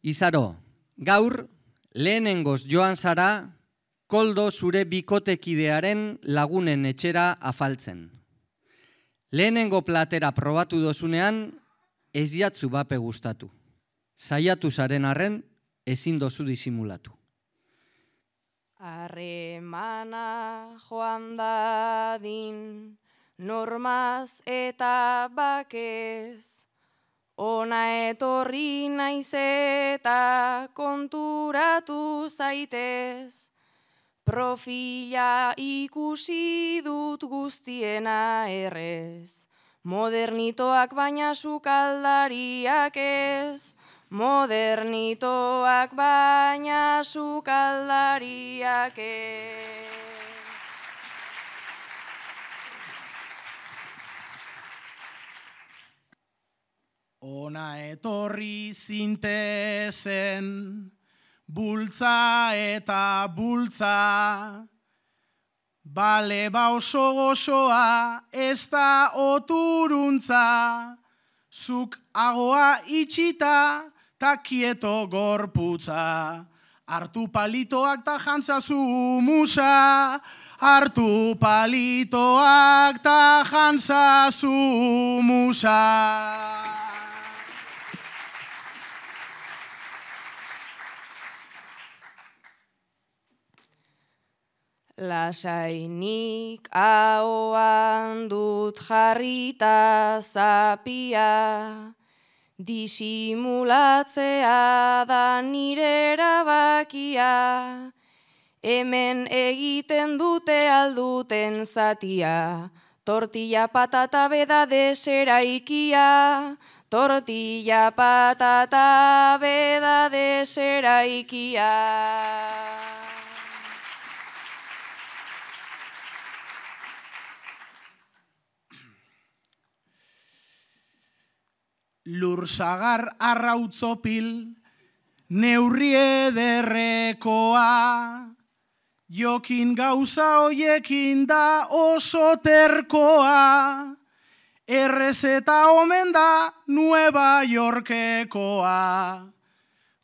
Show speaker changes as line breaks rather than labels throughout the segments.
Izaro, gaur lehenengoz joan zara Koldo zure bikotekidearen lagunen etxera afaltzen. Lehenengo platera probatu dozunean ez jatzu bape gustatu. Saiatu zaren arren ezin dozu disimulatu.
Harremana joan dadin, normaz eta bakez, ona etorri naiz eta konturatu zaitez, profila ikusi dut guztiena errez, modernitoak baina sukaldariak ez, modernitoak baina sukaldariak ez.
Ona etorri zintezen, bultza eta bultza, bale oso gozoa ez da oturuntza, zuk agoa itxita ta kieto gorputza, hartu palitoak ta jantzazu musa, hartu palitoak ta jantzazu musa.
Lasainik ahoan dut jarrita zapia, disimulatzea da nire erabakia, hemen egiten dute alduten zatia, tortilla patata beda deseraikia, tortilla patata beda deseraikia.
Lursagar arrautzopil, neurri ederrekoa, jokin gauza hoiekin da oso terkoa, errezeta omen da Nueva Yorkekoa,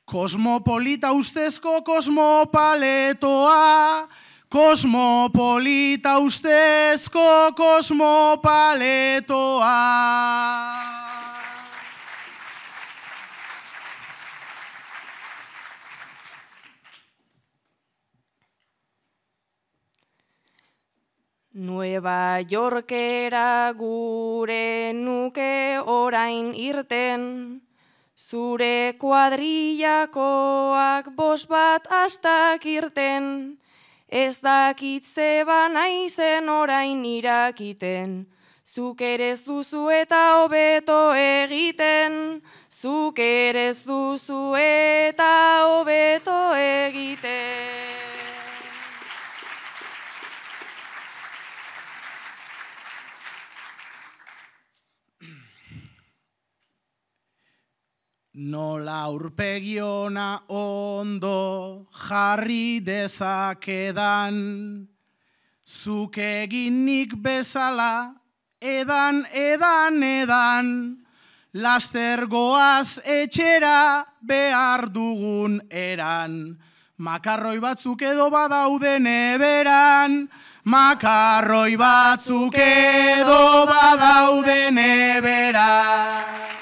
kosmopolita ustezko kosmopaletoa, kosmopolita ustezko kosmopaletoa.
Nueva Yorkera gure nuke orain irten, zure kuadrillakoak 5 bat astak irten, ez dakit zeba naizen orain irakiten, zuk ere ez duzu eta hobeto egiten, zuk ere ez duzu eta hobeto egiten.
Nola aurpegiona ondo jarri dezakedan, zuk eginik bezala edan, laster goaz etxera behar dugun eran, makarroi batzuk edo badauden eberan, makarroi batzuk edo badauden eberan.